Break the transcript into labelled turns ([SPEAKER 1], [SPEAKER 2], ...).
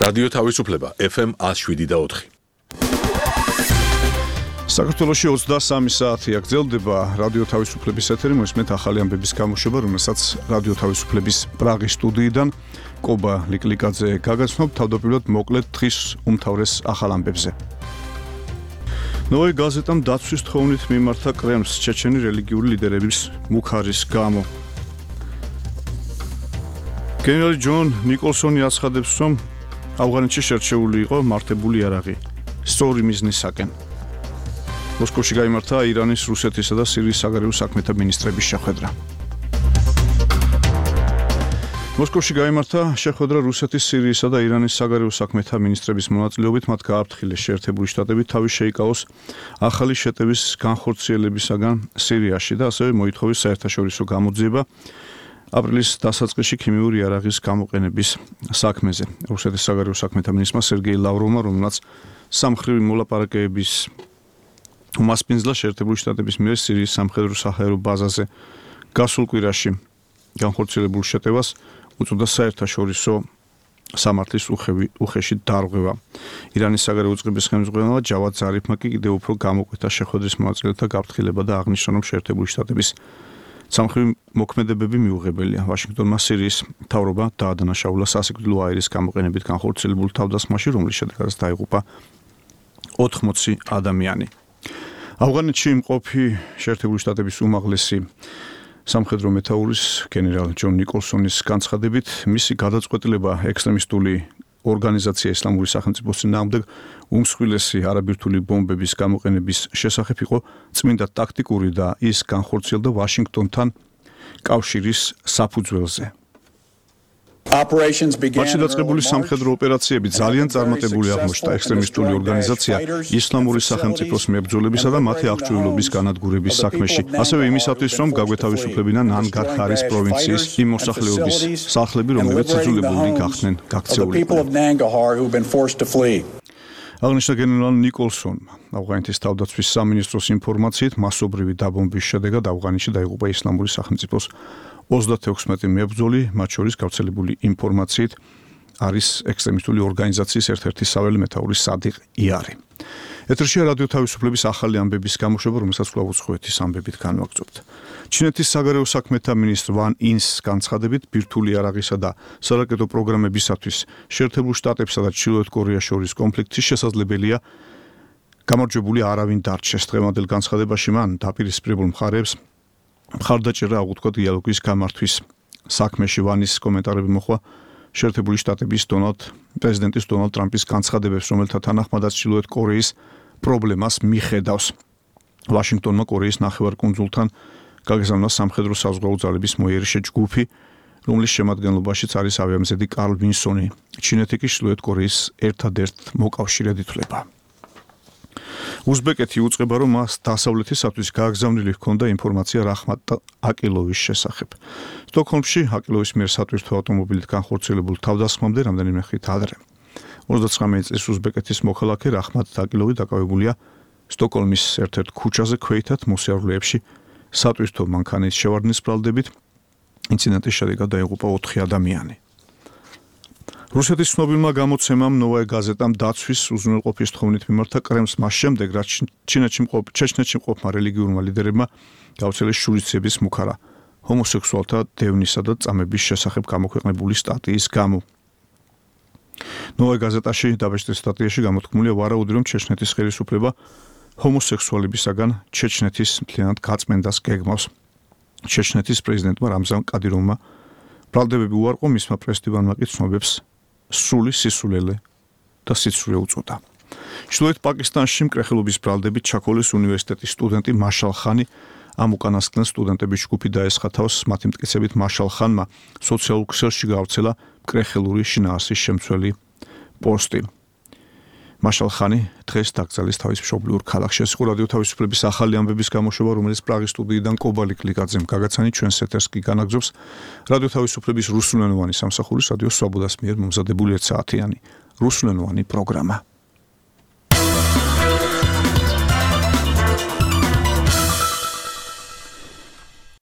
[SPEAKER 1] რადიო თავისუფლება FM 107.4.
[SPEAKER 2] საქართველოში 23 საათი აგრძელდება რადიო თავისუფლების ეთერი, მოსმენთ ახალი ამბების გამოშვება, რომელსაც რადიო თავისუფლების პრაღის სტუდიიდან კობა ლიკლიკაძე გაგაცნობ, თავდაპირველად მოკლედ დღის უმთავრეს ახალ ამბებზე. ნოვაი გაზეტამ დაცვის თხოვნით მიმართა კრემლს ჩეჩენი რელიგიური ლიდერების მუქარის გამო. გენერალი ჯონ ნიკოლსონი აცხადებს, რომ ავღანეთში შერჩეული იყო მართებული იარაღი სწორი მიზნისაკენ. მოსკოვში გაიმართა ირანის, რუსეთისა და სირიის საგარეო საქმეთა მინისტრების შეხვედრა. მოსკოვში გაიმართა შეხვედრა რუსეთის, სირიისა და ირანის საგარეო საქმეთა მინისტრების მონაწილეობით. მათ გააფრთხილეს შეერთებული შტატები თავის შეიკავოს ახალი შეტევის განხორციელებისაგან სირიაში და ასევე მოითხოვეს საერთაშორისო გამოძიება აპრილის დასაწყისში ქიმიური იარაღის გამოყენების საქმეზე. რუსეთის საგარეო საქმეთა მინისტრმა სერგეი ლავროვმა, რომელმაც სამხრივი მოლაპარაკებების უმასპინძლა შეერთებული შტატების მიერ სირიის სამხედრო საჰაერო ბაზაზე გასულ კვირაში განხორციელებულ შეტევას უწოდა საერთაშორისო სამართლის უხეში დარღვევა. ირანის საგარეო უწყების ხელმძღვანელმა ჯავად ზარიფმა კი კიდევ უფრო გამოკვეთა შეხვედრის მონაწილეთა გაფრთხილება და აღნიშნა, რომ შეერთებული შტატების სამხრივი მოქმედებები მიუღებელია. ვაშინგტონმა სირიის მთავრობა დაადანაშაულა სასიკვდილო აირის გამოყენებით განხორციელებულ თავდასხმაში, რომლის შედეგადაც დაიღუპა 80 ადამიანი. ავღანეთში იმყოფი შეერთებული შტატების უმაღლესი სამხედრო მეთაურის გენერალ ჯონ ნიკოლსონის განცხადებით, მისი გადაწყვეტილება ექსტრემისტული ორგანიზაცია ისლამური სახელმწიფოს წინააღმდეგ უმსხვილესი არაბირთული ბომბების გამოყენების შესახებ იყო წმინდა ტაქტიკური და ის განხორციელდა ვაშინგტონთან კავშირის საფუძველზე. მათში დაწყებული სამხედრო ოპერაციები ძალიან წარმატებული აღმოჩნდა ექსტრემისტული ორგანიზაცია ისლამური სახელმწიფოს მებრძოლებისა და მათი აღჭურვილობის განადგურების საქმეში. ასევე იმისათვის, რომ გაგვეთავისუფლებინან ნანგარჰარის პროვინციის იმ მოსახლეობის სახლები, რომლებიც იძულებულნი გახდნენ გაქცეულიყვნენ. აღნიშნა გენერალ ნიკოლსონმა. ავღანეთის თავდაცვის სამინისტროს ინფორმაციით, მასობრივი დაბომბვის შედეგად ავღანეთში დაიღუპა ისლამური სახელმწიფოს 36 მებრძოლი, მათ შორის გავრცელებული ინფორმაციით არის ექსტრემისტული ორგანიზაციის ერთ-ერთი საველე მეთაური სადიყ იარი. ეთერშია რადიო თავისუფლების ახალი ამბების გამოშვება, რომელსაც კვლავ უცხოეთის ამბებით განვაგრძობთ. ჩინეთის საგარეო საქმეთა მინისტრ ვან ინს განცხადებით, ბირთვული იარაღისა და სარაკეტო პროგრამებისათვის შეერთებულ შტატებსა და ჩრდილოეთ კორეას შორის კონფლიქტი შესაძლებელია გამარჯვებული არავინ დარჩეს. დღევანდელ განცხადებაში მან დაპირისპირებულ მხარეებს მხარდაჭერა აღუთქვა დიალოგის გამართვის საქმეში. ვანის კომენტარები მოხვა შეერთებული შტატების პრეზიდენტის დონალდ ტრამპის განცხადებებს, რომელთა თანახმადაც ჩრდილოეთ კორეის პრობლემას მიხედავს. ვაშინგტონმა კორეის ნახევარკუნძულთან გაგზავნა სამხედრო საზღვაო ძალების მოიერიშე ჯგუფი, რომლის შემადგენლობაშიც არის ავიამზედი კარლ ვინსონი. ჩინეთი კი ჩრდილოეთ კორეის ერთადერთ მოკავშირედ ითვლება. უზბეკეთი უწყება, რომ მას დასავლეთისათვის გააგზავნილი ჰქონდა ინფორმაცია რაჰმატ აკილოვის შესახებ. სტოკჰოლმში აკილოვის მიერ სატვირთო ავტომობილით განხორციელებულ თავდასხმამდე რამდენიმე ხით ადრე 39 წლის უზბეკეთის მოქალაქე რაჰმატ აკილოვი დაკავებულია სტოკჰოლმის ერთ-ერთ ქუჩაზე ქვეითად მოსიარულეებში სატვირთო მანქანით შევარდნის ბრალდებით. ინციდენტის შედეგად დაიღუპა 4 ადამიანი. რუსეთის ცნობილმა გამოცემამ ნოვაი გაზეტამ დაცვის უზრუნველყოფის თხოვნით მიმართა კრემლს მას შემდეგ, რაც ჩეჩნეთში მყოფმა რელიგიურმა ლიდერებმა გაუცელეს შურისძიების მუქარა ჰომოსექსუალთა დევნისა და წამების შესახებ გამოქვეყნებული სტატიის გამო. ნოვაი გაზეტაში დაბეჭდილ სტატიაში გამოთქმულია ვარაუდი, რომ ჩეჩნეთის ხელისუფლება ჰომოსექსუალებისაგან ჩეჩნეთის მთლიანად გაწმენდას გეგმავს. ჩეჩნეთის პრეზიდენტმა რამზან კადიროვმა ბრალდებები უარყო, მისმა პრესდივანმა კი ცნობებს სრული სისულელე და სიცრუე უწოდა. ჩრდილოეთ პაკისტანში მკრეხელობის ბრალდებით ჩაქოლეს უნივერსიტეტის სტუდენტი მაშალ ხანი ამ უკანასკნელ სტუდენტების ჯგუფი დაესხა თავს. მათი მტკიცებით მაშალ ხანმა სოციალურ ქსელში გაავრცელა მკრეხელური შინაარსის შემცველი პოსტი. მაშალ ხანი დღეს დაკრძალეს თავის მშობლიურ ქალაქში. ეს იყო რადიო თავისუფლების ახალი ამბების გამოშვება, რომელიც პრაღის სტუდიიდან კობა ლიკლიკაძემ გაგაცანი, ჩვენს ეთერს კი განაგრძობს რადიო თავისუფლების რუსულენოვანი სამსახურის რადიო სვაბოდას მიერ მომზადებული 1 საათიანი რუსულენოვანი პროგრამა.